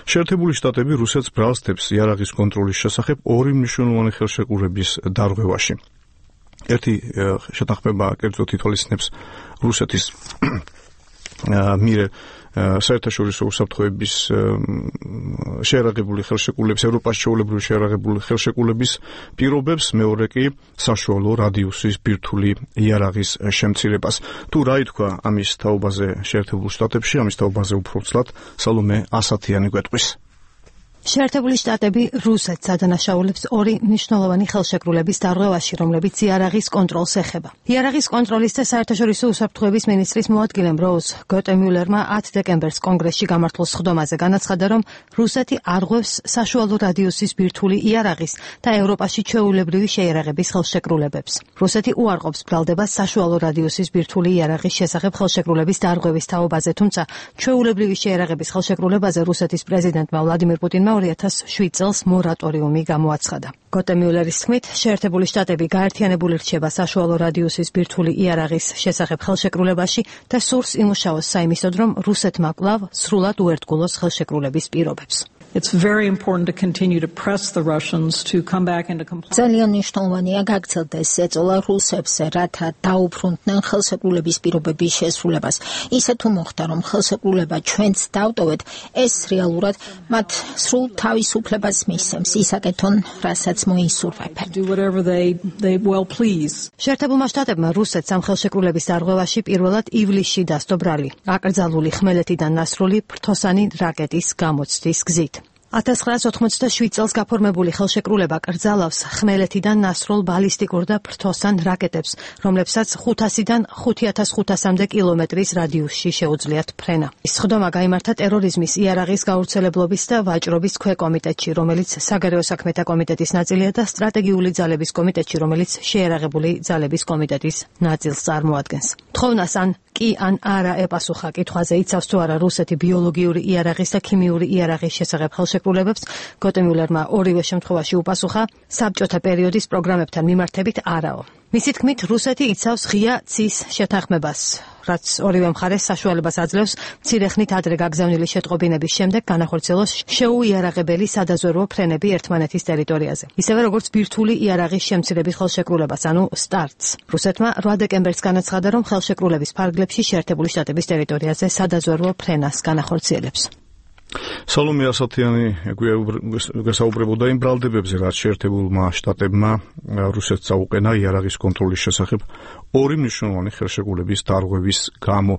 შეერთებული შტატები რუსეთს ბრალს დებს იარაღის კონტროლის შესახებ ორი მნიშვნელოვანი ხელშეკრულების დარღვევაში. ერთი შეთანხმება კერძოდ ითვალისწინებს რუსეთის მიერ საერთაშორისო უსაფრთხოების შეერაღებული ხელშეკრულების, ევროპაში ჩვეულებრივი შეერაღებული ხელშეკრულების პირობებს, მეორე კი საშუალო რადიუსის ბირთვული იარაღის შემცირებას. თუ რა ითქვა ამის თაობაზე შეერთებულ შტატებში, ამის თაობაზე უფრო ცლად სალომე ასათიანი გვეტყვის. შეერთებული შტატები რუსეთს ადანაშაულებს ორი მნიშვნელოვანი ხელშეკრულების დარღვევაში, რომლებიც იარაღის კონტროლს ეხება. იარაღის კონტროლის და საერთაშორისო უსაფრთხოების მინისტრის მოადგილემ როუზ გოტემიულერმა 10 დეკემბერს კონგრესში გამართულ სხდომაზე განაცხადა, რომ რუსეთი არღვევს საშუალო რადიუსის ბირთვული იარაღის და ევროპაში ჩვეულებრივი შეიარაღების ხელშეკრულებებს. რუსეთი უარყოფს ბრალდებას საშუალო რადიუსის ბირთვული იარაღის შესახებ ხელშეკრულების დარღვევის თაობაზე, თუმცა ჩვეულებრივი შეიარაღების ხელშეკრულებაზე რუსეთის პრეზიდენტმა ვლადიმირ პუტინმა 2007 წელს მორატორიუმი გამოაცხადა. გოტემიულერის თქმით, შეერთებული შტატები გაერთიანებული რჩება საშუალო რადიუსის ბირთვული იარაღის შესახებ ხელშეკრულებაში და სურს იმუშაოს საიმისოდ, რომ რუსეთმა კვლავ სრულად უერთგულოს ხელშეკრულების პირობებს. It's very important to continue to press the Russians to come back into compliance. ძალიან მნიშვნელოვანია გაგრძელდეს ეწოლა რუსებს, რათა დაუბრუნდნენ ხელშეკრულების პირობების შესრულებას. ისე თუ მოხდა, რომ ხელშეკრულება ჩვენც დავტოვეთ, ეს რეალურად მათ სრულ თავისუფლებას მისცემს ისაკეთონ, რასაც მოისურვებენ. Do whatever they well please. შეერთებულმა შტატებმა რუსეთს ამ ხელშეკრულების დარღვევაში პირველად ივლისში დასდო ბრალი, აკრძალული ხმელეთიდან ნასრული ფრთოსანი რაკეტის გამოცდის გზით. 1987 წელს გაფორმებული ხელშეკრულება კრძალავს ხმელეთიდან ნასრულ ბალისტიკურ და ფრთოსან რაკეტებს, რომლებსაც 500-დან 5500-მდე კილომეტრის რადიუსში შეუძლიათ ფრენა. სხდომა გაიმართა ტერორიზმის, იარაღის გავრცელებლობის და ვაჭრობის ქვეკომიტეტში, რომელიც საგარეო საქმეთა კომიტეტის ნაწილია და სტრატეგიული ძალების კომიტეტში, რომელიც შეიარაღებული ძალების კომიტეტის ნაწილს წარმოადგენს. თხოვნას ან კი ან არა ეპასუხა კითხვაზე, იცავს თუ არა რუსეთი ბიოლოგიური იარაღის და ქიმიური იარაღის შესახებ ხელშეკრულებებს, გოტემიულერმა ორივე შემთხვევაში უპასუხა საბჭოთა პერიოდის პროგრამებთან მიმართებით არაო. მისი თქმით, რუსეთი იცავს ღია ცის შეთანხმებას, რაც ორივე მხარეს საშუალებას აძლევს მცირე ხნით ადრე გაგზავნილი შეტყობინების შემდეგ განახორციელოს შეუიარაღებელი სადაზვერვო ფრენები ერთმანეთის ტერიტორიაზე. ისევე როგორც ბირთვული იარაღის შემცირების ხელშეკრულებას, ანუ სტარტს. რუსეთმა 8 დეკემბერს განაცხადა, რომ ხელშეკრულების ფარგლებში შეერთებული შტატების ტერიტორიაზე სადაზვერვო ფრენას განახორციელებს. სალომე ასათიანი გასაუბრებოდა იმ ბრალდებებზე, რაც შეერთებულმა შტატებმა რუსეთს აუყენა იარაღის კონტროლის შესახებ ორი მნიშვნელოვანი ხელშეკრულების დარღვევის გამო.